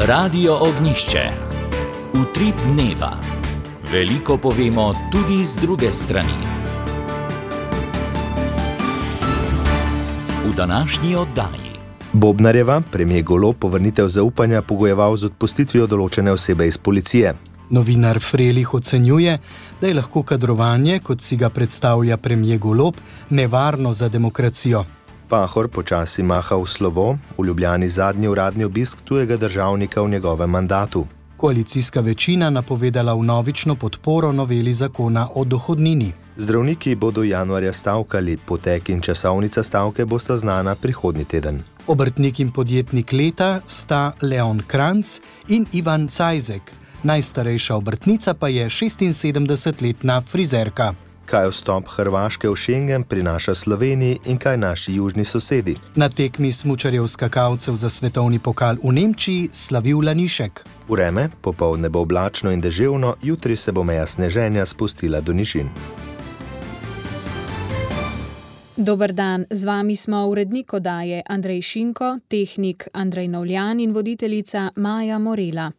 Radio Ognišče. Utrip dneva. Veliko povemo tudi z druge strani. V današnji oddaji. Bobnarjeva, premier Golob, povrnitev zaupanja pogojeval z odpustitvijo določene osebe iz policije. Novinar Frelih ocenjuje, da je lahko kadrovanje, kot si ga predstavlja premier Golob, nevarno za demokracijo. Pahor počasi maha v slovo, v Ljubljani zadnji uradni obisk tujega državnika v njegovem mandatu. Koalicijska večina napovedala vnovično podporo noveli zakona o dohodnini. Zdravniki bodo januarja stavkali, potek in časovnica stavke bosta znana prihodnji teden. Obrtnik in podjetnik leta sta Leon Kranc in Ivan Cajzek. Najstarejša obrtnica pa je 76-letna frizerka. Kaj vstop Hrvaške v Schengen prinaša Sloveniji in kaj naši južni sosedi? Na tekmi smučarjev skakalcev za svetovni pokal v Nemčiji slavil Lanišek. Vreme, popoldne bo oblačno in deževno, jutri se bo meja sneženja spustila do nižin. Dober dan, z vami smo urednik oddaje Andrej Šinko, tehnik Andrej Novljan in voditeljica Maja Morela.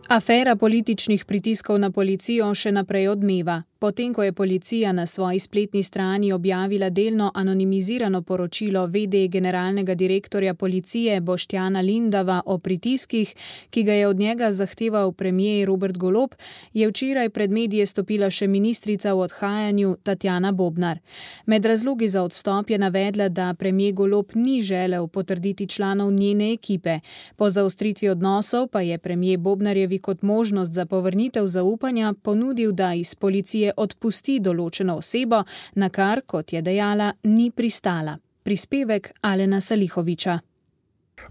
Afera političnih pritiskov na policijo še naprej odmeva. Potem, ko je policija na svoji spletni strani objavila delno anonimizirano poročilo v.d. generalnega direktorja policije Boštjana Lindava o pritiskih, ki ga je od njega zahteval premier Robert Golob, je včeraj pred medije stopila še ministrica v odhajanju Tatjana Bobnar. Med razlogi za odstop je navedla, da premier Golob ni želel potrditi članov njene ekipe. Po zaostritvi odnosov pa je premier Bobnarjevi kot možnost za povrnitev zaupanja ponudil, da iz policije odpusti določeno osebo, na kar, kot je dejala, ni pristala. Prispevek Alena Salihoviča.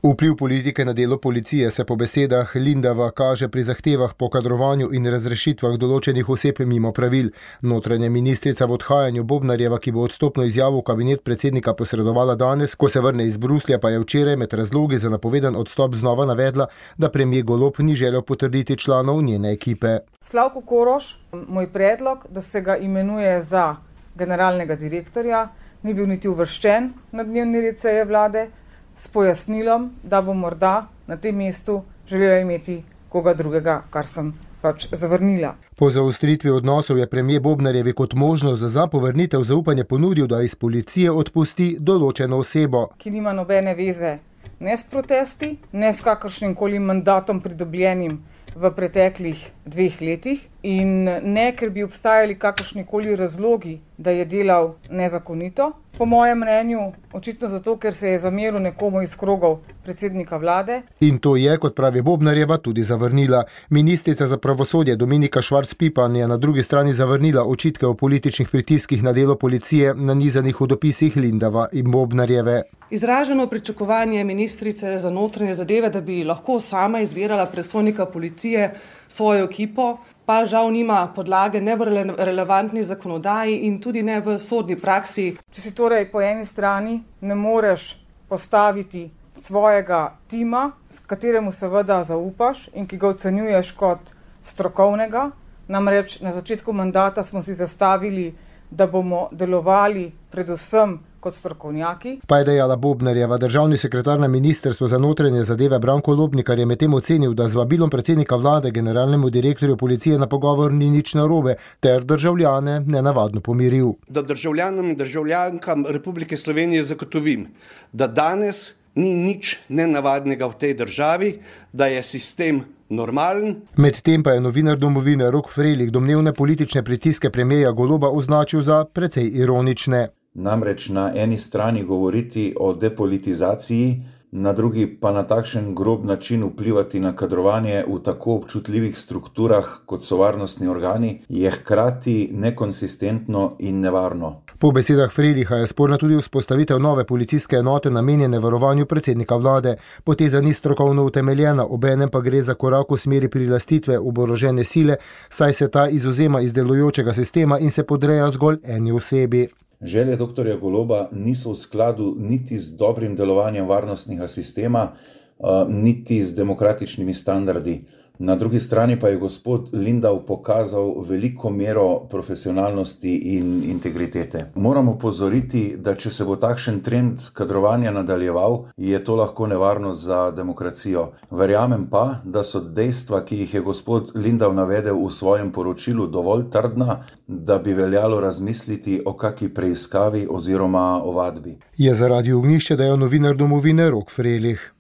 Vpliv politike na delo policije se po besedah Lindava kaže pri zahtevah po kadrovanju in razrešitvah določenih oseb mimo pravil. Notranja ministrica v odhajanju Bobnarjeva, ki bo odstopno izjavo v kabinet predsednika posredovala danes, ko se vrne iz Bruslja, pa je včeraj med razlogi za napovedan odstop znova navedla, da premier Golob ni želel potrditi članov njene ekipe. Slavko Koroš, moj predlog, da se ga imenuje za generalnega direktorja, ni bil niti uvrščen na dnevni red seje vlade, s pojasnilom, da bo morda na tem mestu želela imeti koga drugega, kar sem pač zavrnila. Po zaostritvi odnosov je premier Bobnarjevi kot možnost za povrnitev zaupanja ponudil, da iz policije odpusti določeno osebo, ki nima nobene veze ne s protesti, ne s kakršnim koli mandatom pridobljenim v preteklih 2 letih in ne, ker bi obstajali kakršnikoli razlogi, da je delal nezakonito. Po mojem mnenju, očitno zato, ker se je zameril nekomu iz krogov predsednika vlade. In to je, kot pravi Bobnarjeva, tudi zavrnila. Ministrica za pravosodje Dominika Švarc-Pipan je na drugi strani zavrnila očitke o političnih pritiskih na delo policije nanizanih v dopisih Lindava in Bobnarjeve. Izraženo pričakovanje ministrice za notranje zadeve, da bi lahko sama izbirala predstojnika policije svojo ekipo, pa žal nima podlage ne v relevantni zakonodaji in tudi ne v sodni praksi. Če si torej po eni strani ne moreš postaviti svojega tima, s kateremu seveda zaupaš in ki ga ocenjuješ kot strokovnega, namreč na začetku mandata smo si zastavili, da bomo delovali predvsem kot strokovnjaki. Pa je dejala Bobnarjeva. Državni sekretar na ministrstvu za notranje zadeve Branko Lobnikar je medtem ocenil, da z vabilom predsednika vlade generalnemu direktorju policije na pogovor ni nič narobe, ter državljane nenavadno pomiril. Da državljanom in državljankam Republike Slovenije zagotovim, da danes ni nič nenavadnega v tej državi, da je sistem normalen. Medtem pa je novinar Domovine Rok Frelih domnevne politične pritiske premierja Goloba označil za precej ironične. Namreč na eni strani govoriti o depolitizaciji, na drugi pa na takšen grob način vplivati na kadrovanje v tako občutljivih strukturah, kot so varnostni organi, je hkrati nekonsistentno in nevarno. Po besedah Freliha je sporna tudi vzpostavitev nove policijske enote namenjene varovanju predsednika vlade. Poteza ni strokovno utemeljena, obenem pa gre za korak v smeri prilastitve oborožene sile, saj se ta izvzema iz delujočega sistema in se podreja zgolj eni osebi. Želje dr. Goloba niso v skladu niti z dobrim delovanjem varnostnega sistema, niti z demokratičnimi standardi. Na drugi strani pa je gospod Lindav pokazal veliko mero profesionalnosti in integritete. Moramo opozoriti, da če se bo takšen trend kadrovanja nadaljeval, je to lahko nevarnost za demokracijo. Verjamem pa, da so dejstva, ki jih je gospod Lindav navedel v svojem poročilu, dovolj trdna, da bi veljalo razmisliti o kaki preiskavi oziroma ovadbi. Je zaradi ognjišča dejal novinar Domovine Rok Frelih.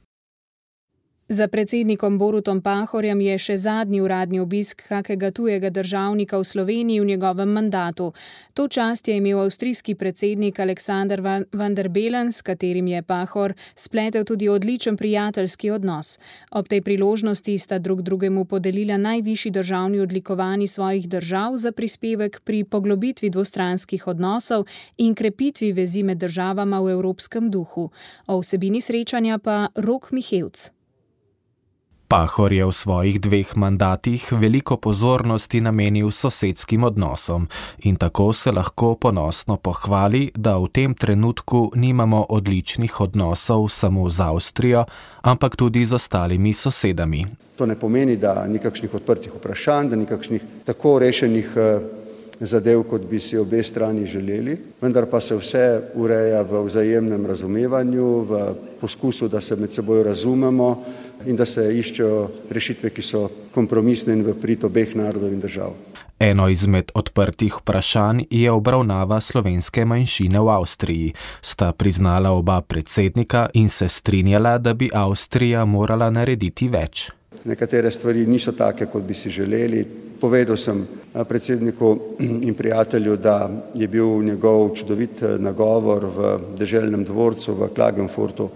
Za predsednikom Borutom Pahorjem je še zadnji uradni obisk kakega tujega državnika v Sloveniji v njegovem mandatu. To čast je imel avstrijski predsednik Alexander van der Bellen, s katerim je Pahor spletel tudi odličen prijateljski odnos. Ob tej priložnosti sta drug drugemu podelila najvišji državni odlikovanji svojih držav za prispevek pri poglobitvi dvostranskih odnosov in krepitvi vezi med državama v evropskem duhu. O vsebini srečanja pa Rok Mihevc. Pahor je v svojih 2 mandatih veliko pozornosti namenil sosedskim odnosom in tako se lahko ponosno pohvali, da v tem trenutku nimamo odličnih odnosov samo z Avstrijo, ampak tudi z ostalimi sosedami. To ne pomeni, da nikakšnih odprtih vprašanj, da nikakšnih tako rešenih zadev, kot bi si obe strani želeli, vendar pa se vse ureja v vzajemnem razumevanju, v poskusu, da se med seboj razumemo in da se iščejo rešitve, ki so kompromisne in v prid obeh narodov in držav. Eno izmed odprtih vprašanj je obravnava slovenske manjšine v Avstriji. Sta priznala oba predsednika in se strinjala, da bi Avstrija morala narediti več. Nekatere stvari niso take, kot bi si želeli. Povedal sem predsedniku in prijatelju, da je bil njegov čudovit nagovor v deželnem dvorcu v Klagenfurtu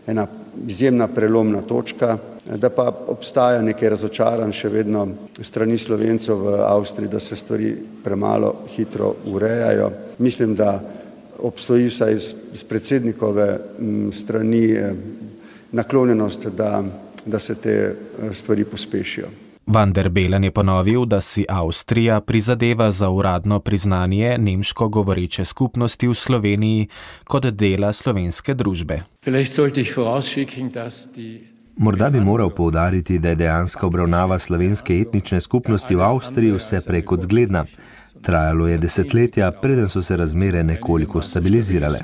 ena izjemna prelomna točka, da pa obstaja nekaj razočaranj še vedno strani Slovencev v Avstriji, da se stvari premalo hitro urejajo. Mislim, da obstoji vsaj iz predsednikove strani naklonjenost, da se te stvari pospešijo. Van der Bellen je ponovil, da si Avstrija prizadeva za uradno priznanje nemško govoreče skupnosti v Sloveniji kot dela slovenske družbe. Morda bi moral poudariti, da je dejanska obravnava slovenske etnične skupnosti v Avstriji vse prej kot zgledna. Trajalo je desetletja, preden so se razmere nekoliko stabilizirale.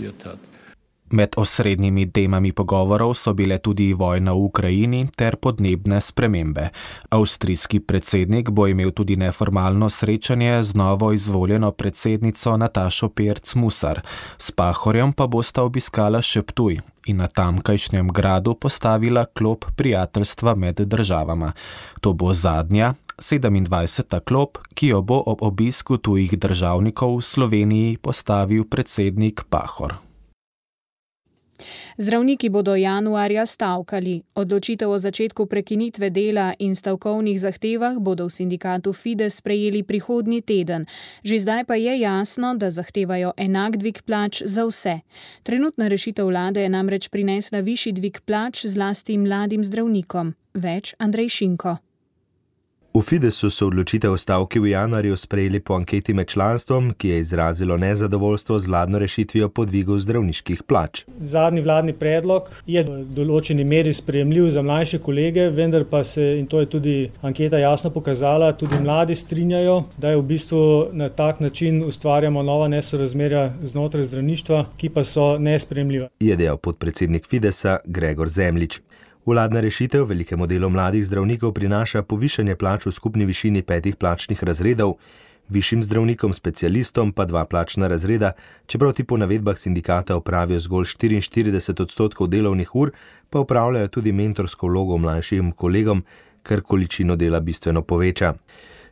Med osrednjimi temami pogovorov so bile tudi vojna v Ukrajini ter podnebne spremembe. Avstrijski predsednik bo imel tudi neformalno srečanje z novo izvoljeno predsednico Natašo Pirc-Musar. S Pahorjem pa bosta obiskala še Ptuj in na tamkajšnjem gradu postavila klop prijateljstva med državama. To bo zadnja, 27. klop, ki jo bo ob obisku tujih državnikov v Sloveniji postavil predsednik Pahor. Zdravniki bodo januarja stavkali. Odločitev o začetku prekinitve dela in stavkovnih zahtevah bodo v sindikatu Fides sprejeli prihodnji teden. Že zdaj pa je jasno, da zahtevajo enak dvig plač za vse. Trenutna rešitev vlade je namreč prinesla višji dvig plač zlasti mladim zdravnikom. Več Andrej Šinko. V Fidesu so odločitev o stavki v januarju sprejeli po anketi med članstvom, ki je izrazilo nezadovoljstvo z vladno rešitvijo po dvigu zdravniških plač. Zadnji vladni predlog je v določeni meri sprejemljiv za mlajše kolege, vendar pa se, in to je tudi anketa jasno pokazala, tudi mladi strinjajo, da je v bistvu na tak način ustvarjamo nova nesorazmerja znotraj zdravništva, ki pa so nesprejemljiva. Je dejal podpredsednik Fidesa Gregor Zemljič. Vladna rešitev velikemu delu mladih zdravnikov prinaša povišanje plač v skupni višini 5 plačnih razredov, višjim zdravnikom specialistom pa 2 plačna razreda, čeprav ti po navedbah sindikata opravijo zgolj 44% delovnih ur, pa opravljajo tudi mentorsko vlogo mlajšim kolegom, kar količino dela bistveno poveča.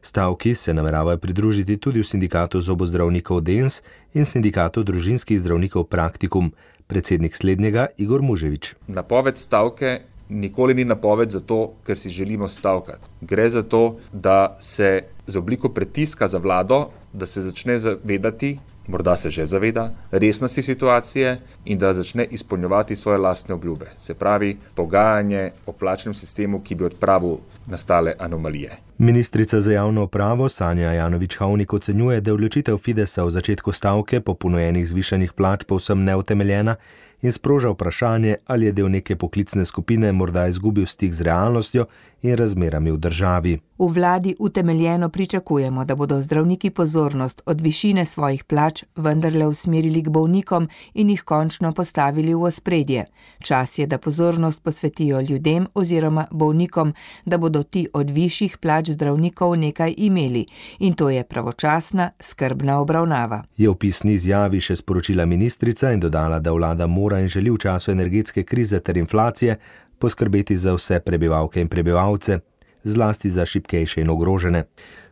Stavki se nameravajo pridružiti tudi v sindikatu zobozdravnikov DENS in sindikatu družinskih zdravnikov Praktikum, predsednik slednjega Igor Muževič. Napoved stavke nikoli ni napoved zato, ker si želimo stavkati. Gre za to, da se z obliko pritiska za vlado, da se začne zavedati, morda se že zaveda, resnosti situacije in da začne izpolnjevati svoje lastne obljube. Se pravi, pogajanje o plačnem sistemu, ki bi odpravil nastale anomalije. Ministrica za javno upravo Sanja Ajanović-Hovnik ocenjuje, da je odločitev Fidesa v začetku stavke po ponujenih zvišanih plač povsem neutemeljena in sproža vprašanje, ali je del neke poklicne skupine morda izgubil stik z realnostjo in razmerami v državi. V vladi utemeljeno pričakujemo, da bodo zdravniki pozornost od višine svojih plač vendarle usmerili k bolnikom in jih končno postavili v ospredje. Čas je, da pozornost posvetijo ljudem oziroma bolnikom, da bodo ti od višjih plač zdravnikov nekaj imeli, in to je pravočasna, skrbna obravnava. Je v pisni izjavi še sporočila ministrica in dodala, da vlada mora in želi v času energetske krize ter inflacije poskrbeti za vse prebivalke in prebivalce, zlasti za šibkejše in ogrožene.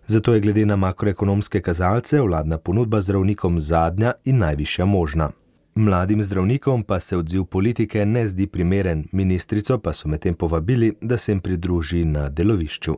Zato je glede na makroekonomske kazalce vladna ponudba zdravnikom zadnja in najvišja možna. Mladim zdravnikom pa se odziv politike ne zdi primeren, ministrico pa so medtem povabili, da se jim pridruži na delovišču.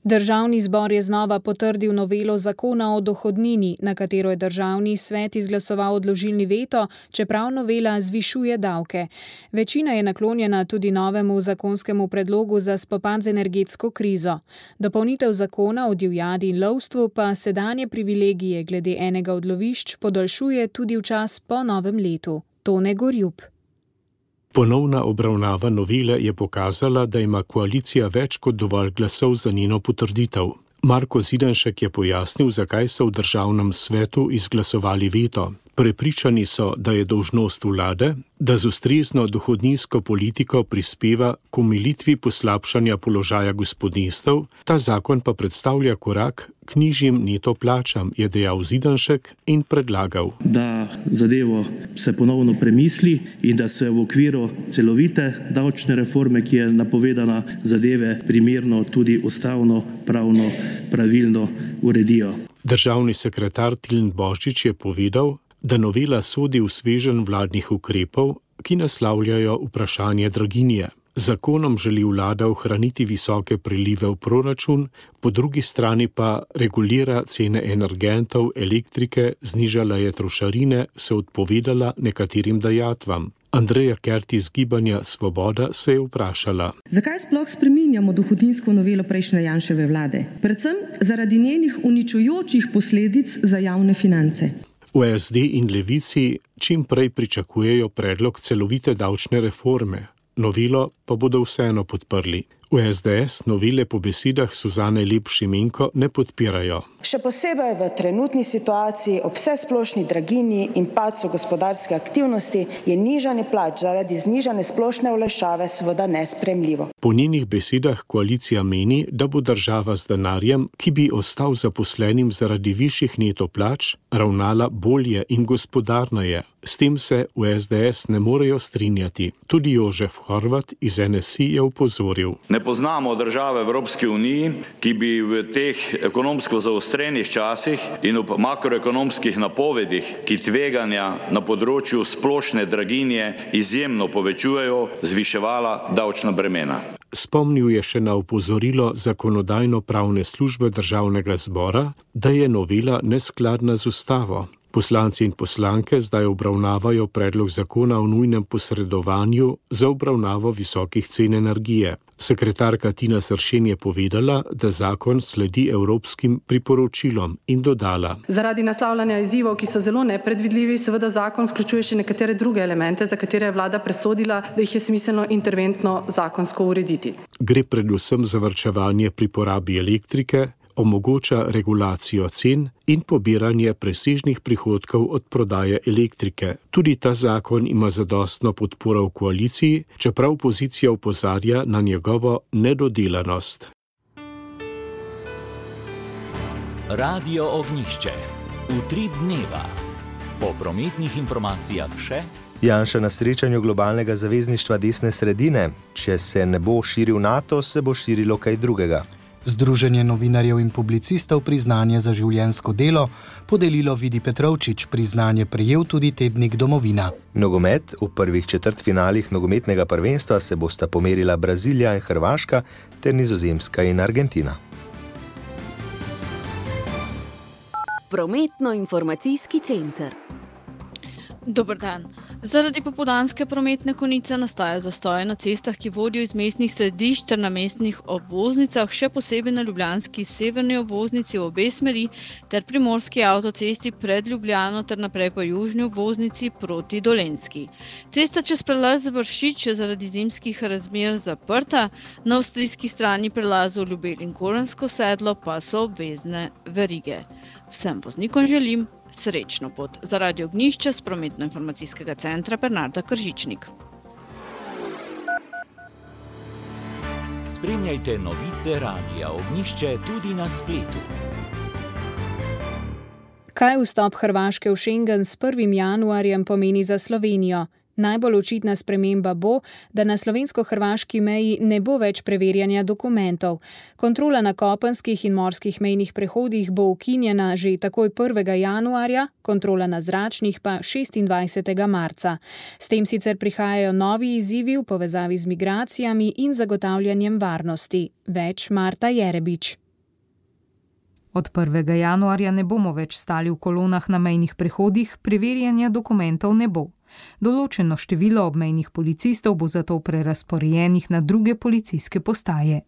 Državni zbor je znova potrdil novelo zakona o dohodnini, na katero je državni svet izglasoval odložilni veto, čeprav novela zvišuje davke. Večina je naklonjena tudi novemu zakonskemu predlogu za spopad z energetsko krizo. Dopolnitev zakona o divjadi in lovstvu pa sedanje privilegije glede enega od lovišč podaljšuje tudi v čas po novem letu. Tone Gorjup. Ponovna obravnava novele je pokazala, da ima koalicija več kot dovolj glasov za njeno potrditev. Marko Zidanšek je pojasnil, zakaj so v državnem svetu izglasovali veto. Prepričani so, da je dolžnost vlade, da z ustrezno dohodninsko politiko prispeva k omilitvi poslabšanja položaja gospodinjstev, ta zakon pa predstavlja korak k nižjim neto plačam, je dejal Zidanšek in predlagal, da zadevo se ponovno premisli in da se v okviru celovite davčne reforme, ki je napovedana, zadeve primerno tudi ustavno, pravno, pravilno uredijo. Državni sekretar Tilen Božič je povedal, da novela sodi v sveženj vladnih ukrepov, ki naslavljajo vprašanje draginje. Zakonom želi vlada ohraniti visoke prilive v proračun, po drugi strani pa regulira cene energentov, elektrike, znižala je trošarine, se odpovedala nekaterim dajatvam. Andreja Kert iz Gibanja Svoboda se je vprašala. Zakaj sploh spreminjamo dohodninsko novelo prejšnje Janševe vlade? Predvsem zaradi njenih uničujočih posledic za javne finance. V SD in Levici čim prej pričakujejo predlog celovite davčne reforme. Novelo pa bodo vseeno podprli. V SDS novele po besedah Suzane Lep Šimenko ne podpirajo. Še posebej v trenutni situaciji ob vsesplošni draginji in padcu gospodarske aktivnosti je nižanje plač zaradi znižane splošne olajšave seveda nesprejemljivo. Po njenih besedah koalicija meni, da bo država z denarjem, ki bi ostal zaposlenim zaradi višjih neto plač, ravnala bolje in gospodarneje. S tem se v SDS ne morejo strinjati. Tudi Jožef Horvat iz NSI je opozoril. Ne poznamo države v Evropski uniji, ki bi v teh ekonomsko zaostrenih časih in ob makroekonomskih napovedih, ki tveganja na področju splošne draginje izjemno povečujejo, zviševala davčna bremena. Spomnil je še na opozorilo Zakonodajno-pravne službe Državnega zbora, da je novela neskladna z ustavo. Poslanci in poslanke zdaj obravnavajo predlog zakona o nujnem posredovanju za obravnavo visokih cen energije. Sekretarka Tina Sršen je povedala, da zakon sledi evropskim priporočilom in dodala. Zaradi naslavljanja izzivov, ki so zelo nepredvidljivi, seveda zakon vključuje še nekatere druge elemente, za katere je vlada presodila, da jih je smiselno interventno zakonsko urediti. Gre predvsem za varčevanje pri porabi elektrike, omogoča regulacijo cen in pobiranje presežnih prihodkov od prodaje elektrike. Tudi ta zakon ima zadostno podporo v koaliciji, čeprav opozicija opozarja na njegovo nedodelanost. Radio Ognjišče. Utrip dneva. Po prometnih informacijah še. Janša na srečanju globalnega zavezništva desne sredine. Če se ne bo širil NATO, se bo širilo kaj drugega. Združenje novinarjev in publicistov priznanje za življenjsko delo podelilo Vidi Petrovčič, priznanje prejel tudi tednik Domovina. Nogomet. V prvih četrtfinalih nogometnega prvenstva se bosta pomerila Brazilija in Hrvaška ter Nizozemska in Argentina. Prometno-informacijski center. Dober dan. Zaradi popoldanske prometne konice nastaja zastoj na cestah, ki vodijo iz mestnih središč ter na mestnih obvoznicah, še posebej na ljubljanski severni obvoznici v obe smeri ter primorski avtocesti pred Ljubljano ter naprej po južni obvoznici proti Dolenjski. Cesta čez prelaz Vršič je zaradi zimskih razmer zaprta, na avstrijski strani prelazov Ljubelj in Gorenjsko sedlo pa so obvezne verige. Vsem voznikom želim srečno pot. Za Radio Ognjišče s prometno-informacijskega centra Bernarda Kržičnik. Spremljajte novice Radia Ognjišče tudi na spletu. Kaj vstop Hrvaške v Schengen s 1. januarjem pomeni za Slovenijo? Najbolj očitna sprememba bo, da na slovensko-hrvaški meji ne bo več preverjanja dokumentov. Kontrola na kopenskih in morskih mejnih prehodih bo ukinjena že takoj 1. januarja, kontrola na zračnih pa 26. marca. S tem sicer prihajajo novi izzivi v povezavi z migracijami in zagotavljanjem varnosti. Več Marta Jerebič. Od 1. januarja ne bomo več stali v kolonah na mejnih prehodih, preverjanja dokumentov ne bo. Določeno število obmejnih policistov bo zato prerazporejenih na druge policijske postaje.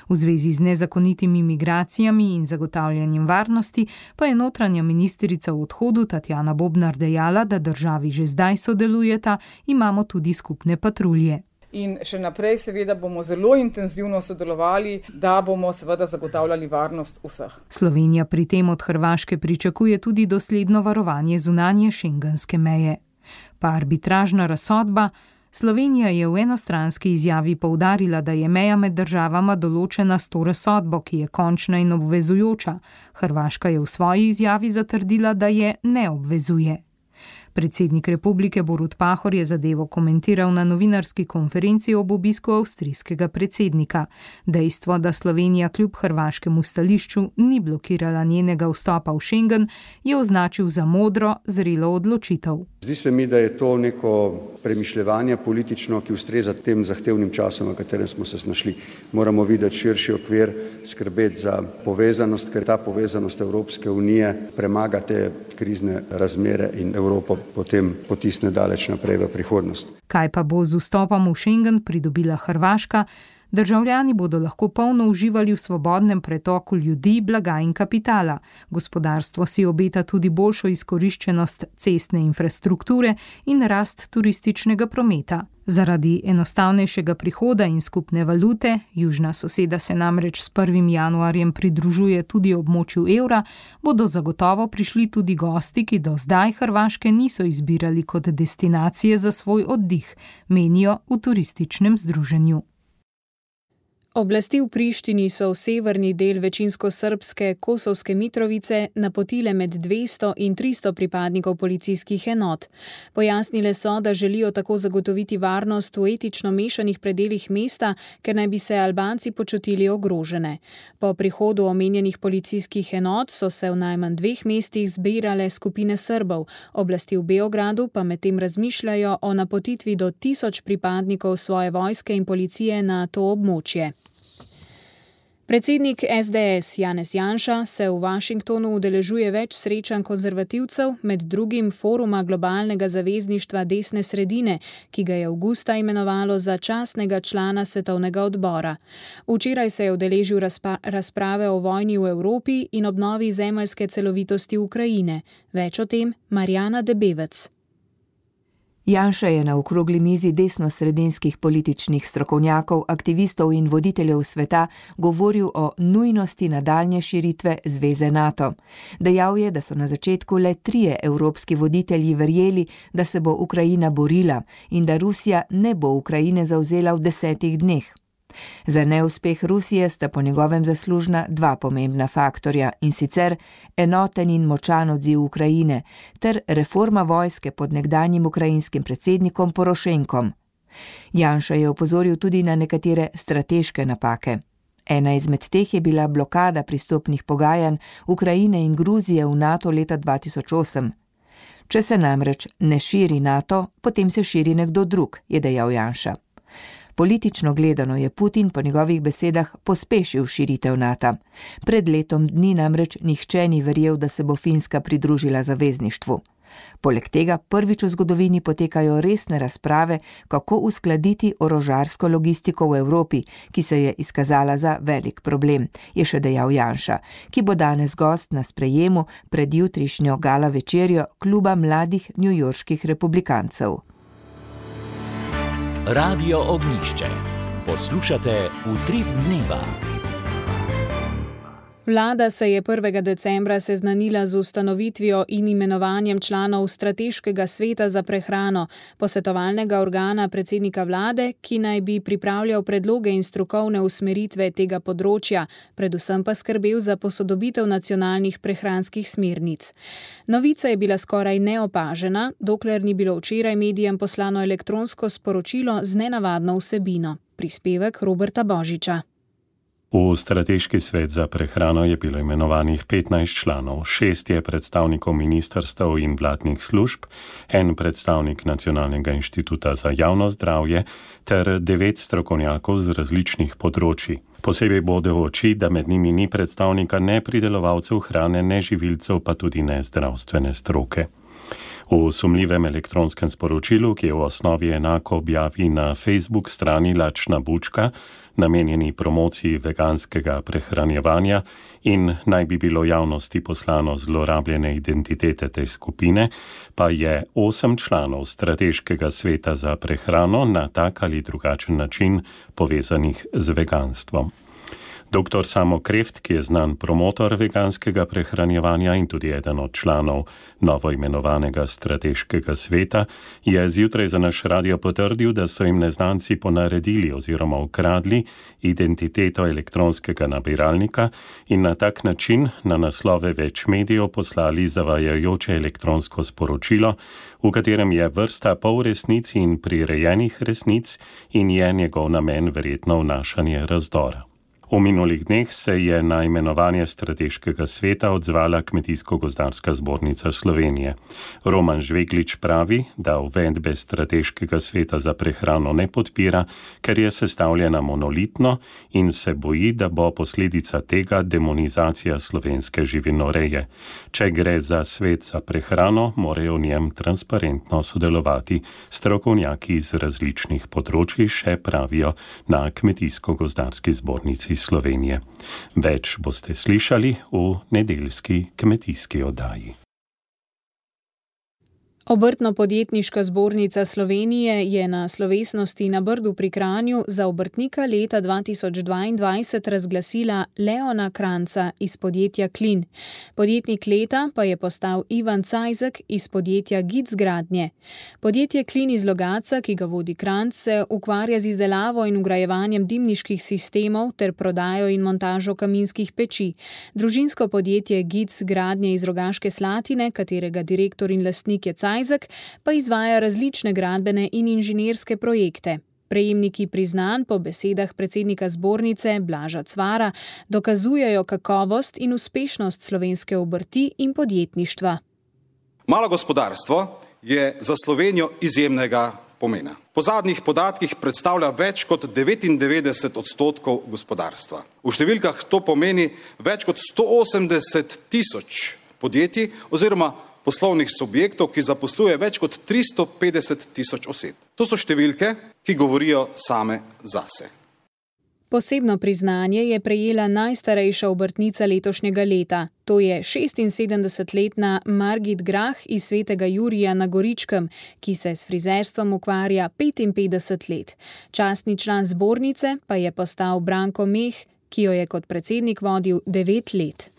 V zvezi z nezakonitimi migracijami in zagotavljanjem varnosti pa je notranja ministrica v odhodu Tatjana Bobnar dejala, da državi že zdaj sodelujeta, imamo tudi skupne patrulje. In še naprej seveda bomo zelo intenzivno sodelovali, da bomo seveda zagotavljali varnost vseh. Slovenija pri tem od Hrvaške pričakuje tudi dosledno varovanje zunanje šengenske meje. Pa arbitražna razsodba. Slovenija je v enostranski izjavi poudarila, da je meja med državama določena s to razsodbo, ki je končna in obvezujoča. Hrvaška je v svoji izjavi zatrdila, da je ne obvezuje. Predsednik republike Borut Pahor je zadevo komentiral na novinarski konferenci ob obisku avstrijskega predsednika. Dejstvo, da Slovenija kljub hrvaškemu stališču ni blokirala njenega vstopa v Schengen, je označil za modro, zrelo odločitev. Zdi se mi, da je to neko premišljevanje politično, ki ustreza tem zahtevnim časom, v katerem smo se znašli. Moramo videti širši okvir, skrbeti za povezanost, ker ta povezanost Evropske unije premaga te krizne razmere in Evropo potem potisne daleč naprej v prihodnost. Kaj pa bo z vstopom v Schengen pridobila Hrvaška? Državljani bodo lahko polno uživali v svobodnem pretoku ljudi, blaga in kapitala. Gospodarstvo si obeta tudi boljšo izkoriščenost cestne infrastrukture in rast turističnega prometa. Zaradi enostavnejšega prihoda in skupne valute, južna soseda se namreč s 1. januarjem pridružuje tudi območju evra, bodo zagotovo prišli tudi gosti, ki do zdaj Hrvaške niso izbirali kot destinacije za svoj oddih, menijo v turističnem združenju. Oblasti v Prištini so v severni del večinsko srbske Kosovske Mitrovice napotile med 200 in 300 pripadnikov policijskih enot. Pojasnile so, da želijo tako zagotoviti varnost v etično mešanih predelih mesta, ker naj bi se Albanci počutili ogrožene. Po prihodu omenjenih policijskih enot so se v najmanj 2 mestih zbirale skupine Srbov. Oblasti v Beogradu pa medtem razmišljajo o napotitvi do 1000 pripadnikov svoje vojske in policije na to območje. Predsednik SDS Janez Janša se v Washingtonu udeležuje več srečanj konzervativcev, med drugim foruma globalnega zavezništva desne sredine, ki ga je avgusta imenovalo za častnega člana svetovnega odbora. Včeraj se je udeležil razprave o vojni v Evropi in obnovi zemeljske celovitosti Ukrajine. Več o tem Marjana Debevec. Janša je na okrogli mizi desnosredinskih političnih strokovnjakov, aktivistov in voditeljev sveta govoril o nujnosti nadaljnje širitve zveze NATO. Dejal je, da so na začetku le 3 evropski voditelji verjeli, da se bo Ukrajina borila in da Rusija ne bo Ukrajine zavzela v 10 dneh. Za neuspeh Rusije sta po njegovem zaslužna 2 pomembna faktorja, in sicer enoten in močan odziv Ukrajine ter reforma vojske pod nekdanjim ukrajinskim predsednikom Porošenkom. Janša je opozoril tudi na nekatere strateške napake. Ena izmed teh je bila blokada pristopnih pogajanj Ukrajine in Gruzije v NATO leta 2008. Če se namreč ne širi NATO, potem se širi nekdo drug, je dejal Janša. Politično gledano je Putin po njegovih besedah pospešil širitev NATO. Pred letom dni namreč nihče ni verjel, da se bo Finska pridružila zavezništvu. Poleg tega prvič v zgodovini potekajo resne razprave, kako uskladiti orožarsko logistiko v Evropi, ki se je izkazala za velik problem, je še dejal Janša, ki bo danes gost na sprejemu pred jutrišnjo gala večerjo kluba mladih newyorških republikancev. Radio Ognjišče. Poslušate Utrip dneva. Vlada se je 1. decembra seznanila z ustanovitvijo in imenovanjem članov Strateškega sveta za prehrano, posvetovalnega organa predsednika vlade, ki naj bi pripravljal predloge in strokovne usmeritve tega področja, predvsem pa skrbel za posodobitev nacionalnih prehranskih smernic. Novica je bila skoraj neopažena, dokler ni bilo včeraj medijem poslano elektronsko sporočilo z nenavadno vsebino. Prispevek Roberta Božiča. V Strateški svet za prehrano je bilo imenovanih 15 članov, 6 je predstavnikov ministrstev in vladnih služb, 1 predstavnik Nacionalnega inštituta za javno zdravje ter 9 strokovnjakov z različnih področji. Posebej bode v oči, da med njimi ni predstavnika ne pridelovalcev hrane, ne živilcev, pa tudi ne zdravstvene stroke. V sumljivem elektronskem sporočilu, ki je v osnovi enako objavi na Facebook strani Lačna bučka, namenjeni promociji veganskega prehranjevanja in naj bi bilo javnosti poslano zlorabljene identitete te skupine, pa je 8 članov Strateškega sveta za prehrano na tak ali drugačen način povezanih z veganstvom. Dr. Samo Kreft, ki je znan promotor veganskega prehranjevanja in tudi eden od članov novoimenovanega Strateškega sveta, je zjutraj za naš radio potrdil, da so jim neznanci ponaredili oziroma ukradli identiteto elektronskega nabiralnika in na tak način na naslove več medijev poslali zavajajoče elektronsko sporočilo, v katerem je vrsta polresnic in prirejenih resnic in je njegov namen verjetno vnašanje razdora. V minulih dneh se je na imenovanje Strateškega sveta odzvala Kmetijsko-gozdarska zbornica Slovenije. Roman Žveglič pravi, da uvedbe Strateškega sveta za prehrano ne podpira, ker je sestavljena monolitno in se boji, da bo posledica tega demonizacija slovenske živinoreje. Če gre za svet za prehrano, morajo v njem transparentno sodelovati strokovnjaki iz različnih področij, še pravijo na Kmetijsko-gozdarski zbornici Slovenije. Več boste slišali v nedeljski kmetijski oddaji. Obrtno-podjetniška zbornica Slovenije je na slovesnosti na Brdu pri Kranju za obrtnika leta 2022 razglasila Leona Kranca iz podjetja Klin. Podjetnik leta pa je postal Ivan Cajzek iz podjetja Gic Gradnje. Podjetje Klin iz Logatca, ki ga vodi Kranc, se ukvarja z izdelavo in vgrajevanjem dimniških sistemov ter prodajo in montažo kaminskih peči. Družinsko podjetje Gic Gradnje iz Rogaške Slatine, katerega direktor in lastnik je Cajzek, pa izvaja različne gradbene in inženirske projekte. Prejemniki priznanj po besedah predsednika zbornice Blaža Cvara dokazujejo kakovost in uspešnost slovenske obrti in podjetništva. Malo gospodarstvo je za Slovenijo izjemnega pomena. Po zadnjih podatkih predstavlja več kot 99% gospodarstva. V številkah to pomeni več kot 180 tisoč podjetij oziroma poslovnih subjektov, ki zaposluje več kot 350 tisoč oseb. To so številke, ki govorijo same zase. Posebno priznanje je prejela najstarejša obrtnica letošnjega leta. To je 76-letna Margit Grah iz Svetega Jurija na Goričkem, ki se s frizerstvom ukvarja 55 let. Častni član zbornice pa je postal Branko Meh, ki jo je kot predsednik vodil 9 let.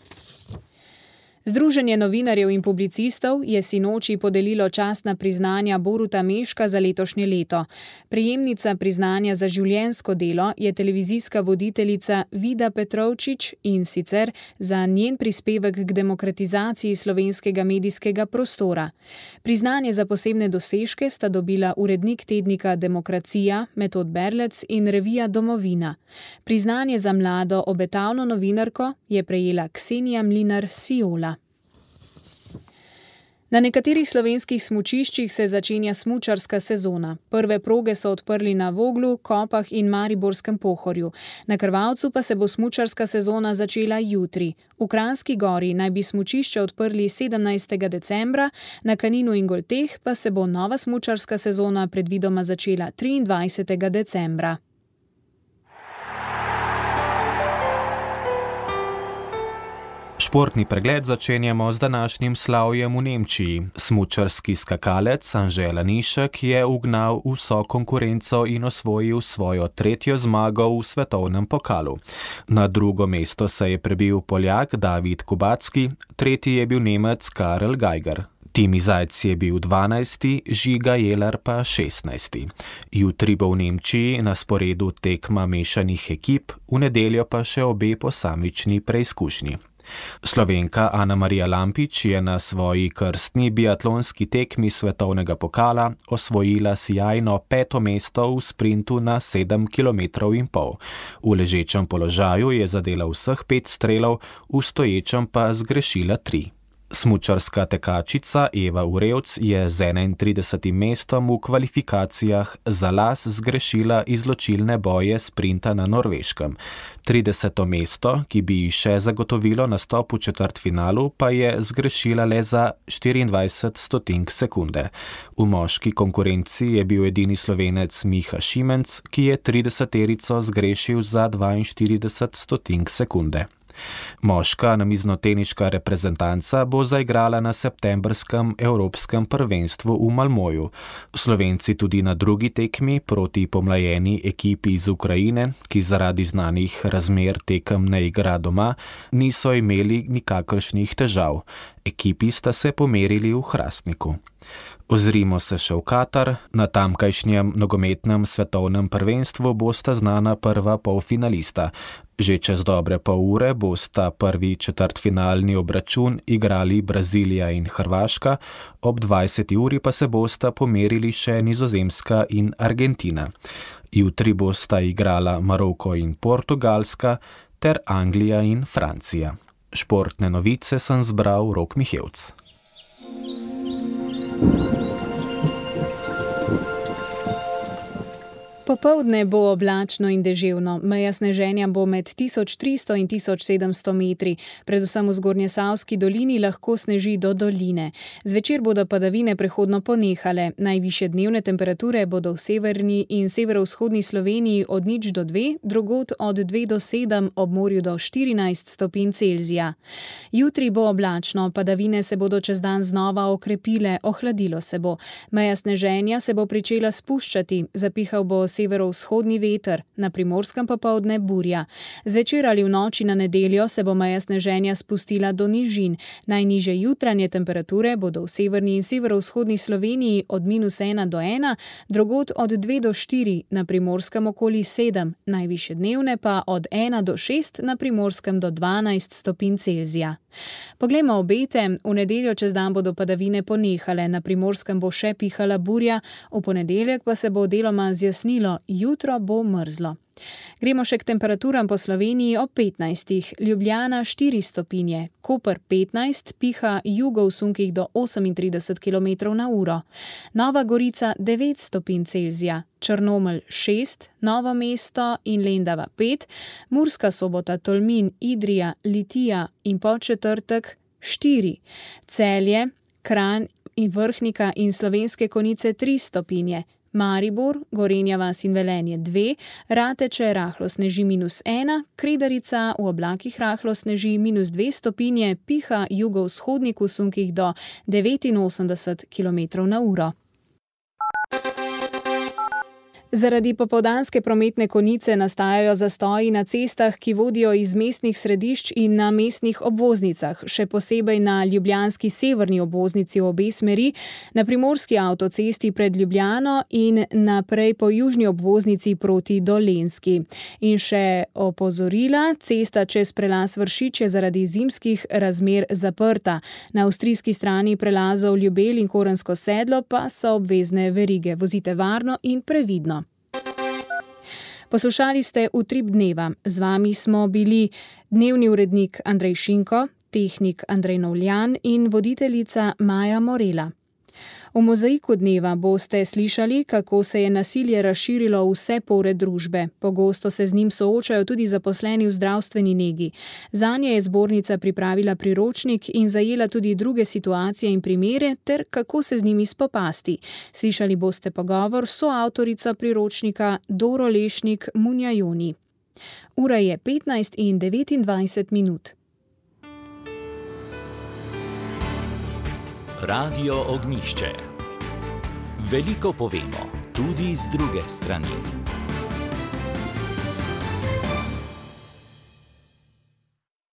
Združenje novinarjev in publicistov je sinoči podelilo častna priznanja Boruta Meška za letošnje leto. Prejemnica priznanja za življenjsko delo je televizijska voditeljica Vida Petrovčič in sicer za njen prispevek k demokratizaciji slovenskega medijskega prostora. Priznanje za posebne dosežke sta dobila urednik tednika Demokracija Metod Berlec in revija Domovina. Priznanje za mlado obetavno novinarko je prejela Ksenija Mlinar Siola. Na nekaterih slovenskih smučiščih se začenja smučarska sezona. Prve proge so odprli na Voglu, Kopah in Mariborskem Pohorju. Na Krvavcu pa se bo smučarska sezona začela jutri. V Kranjski Gori naj bi smučišče odprli 17. decembra, na Kaninu in Golteh pa se bo nova smučarska sezona predvidoma začela 23. decembra. Športni pregled začenjamo z današnjim slavjem v Nemčiji. Smučarski skakalec Anže Lanišek je ugnal vso konkurenco in osvojil svojo 3. zmago v svetovnem pokalu. Na drugo mesto se je prebil Poljak David Kubacki, 3. je bil Nemec Karel Geiger. Timi Zajc je bil 12., Žiga Jelar pa 16. Jutri bo v Nemčiji na sporedu tekma mešanih ekip, v nedeljo pa še obe posamični preizkušnji. Slovenka Ana Marija Lampič je na svoji krstni biatlonski tekmi svetovnega pokala osvojila sijajno 5. mesto v sprintu na 7,5 km. V ležečem položaju je zadela vseh 5 strelov, v stoječem pa zgrešila 3. Smučarska tekačica Eva Urevc je z 31. mestom v kvalifikacijah za las zgrešila izločilne boje sprinta na Norveškem. 30. mesto, ki bi ji še zagotovilo nastop v četrtfinalu, pa je zgrešila le za 24 stotink sekunde. V moški konkurenci je bil edini Slovenec Miha Šimenc, ki je 30-terico zgrešil za 42 stotink sekunde. Moška namiznoteniška reprezentanca bo zaigrala na septembrskem evropskem prvenstvu v Malmoju. Slovenci tudi na drugi tekmi proti pomlajeni ekipi iz Ukrajine, ki zaradi znanih razmer tekem ne igra doma, niso imeli nikakršnih težav. Ekipi sta se pomerili v Hrastniku. Ozrimo se še v Katar. Na tamkajšnjem nogometnem svetovnem prvenstvu bosta znana prva polfinalista. Že čez dobre pol ure bosta prvi četrtfinalni obračun igrali Brazilija in Hrvaška, ob 20. uri pa se bosta pomerili še Nizozemska in Argentina. Jutri bosta igrala Maroko in Portugalska ter Anglija in Francija. Športne novice sem zbral Rok Mihevc. Popoldne bo oblačno in deževno, meja sneženja bo med 1300 in 1700 metri, predvsem v Zgornjesavski dolini lahko sneži do doline. Zvečer bodo padavine prehodno ponehale, najvišje dnevne temperature bodo v severni in severovzhodni Sloveniji od 0 do 2, drugod od 2 do 7, ob morju do 14 stopinj Celzija. Jutri bo oblačno, padavine se bodo čez dan znova okrepile, ohladilo se bo. Meja sneženja se bo pričela spuščati, zapihal bo severovzhodni veter, na Primorskem popoldne burja. Zvečer ali v noči na nedeljo se bo meja sneženja spustila do nižin. Najnižje jutranje temperature bodo v severni in severovzhodni Sloveniji od -1 do 1, drugod od 2 do 4, na Primorskem okoli 7, najvišje dnevne pa od 1 do 6, na Primorskem do 12 stopinj Celzija. Poglejmo obete, v nedeljo čez dan bodo padavine ponehale, na Primorskem bo še pihala burja, v ponedeljek pa se bo deloma zjasnilo, jutro bo mrzlo. Gremo še k temperaturam po Sloveniji ob 15. Ljubljana 4 stopinje, Koper 15, piha jugo v sunkih do 38 km/h. Nova Gorica 9 stopinj Celzija, Črnomelj 6, Novo mesto in Lendava 5, Murska Sobota, Tolmin, Idrija, Litija in Podčetrtek 4, Celje, Kranj in Vrhnika in Slovenske Konjice 3 stopinje, Maribor, Gorenja vas in Velenje 2, Rateče rahlo sneži -1, Kredarica v oblakih rahlo sneži -2 stopinje, piha jugovzhodnik v sunkih do 89 km/h. Zaradi popoldanske prometne konice nastajajo zastoji na cestah, ki vodijo iz mestnih središč in na mestnih obvoznicah, še posebej na ljubljanski severni obvoznici v obe smeri, na primorski avtocesti pred Ljubljano in naprej po južni obvoznici proti Dolenjski. In še opozorila, cesta čez prelaz Vršič je zaradi zimskih razmer zaprta. Na avstrijski strani prelazov Ljubelj in Korensko sedlo pa so obvezne verige. Vozite varno in previdno. Poslušali ste Utrip dneva. Z vami smo bili dnevni urednik Andrej Šinko, tehnik Andrej Novljan in voditeljica Maja Morela. V mozaiku dneva boste slišali, kako se je nasilje razširilo v vse pore družbe. Pogosto se z njim soočajo tudi zaposleni v zdravstveni negi. Zanje je zbornica pripravila priročnik in zajela tudi druge situacije in primere, ter kako se z njimi spopasti. Slišali boste pogovor s soavtorico priročnika Doro Lešnik Munjajoni. Ura je 15:29. Radio Ognjišče. Veliko povemo, tudi z druge strani.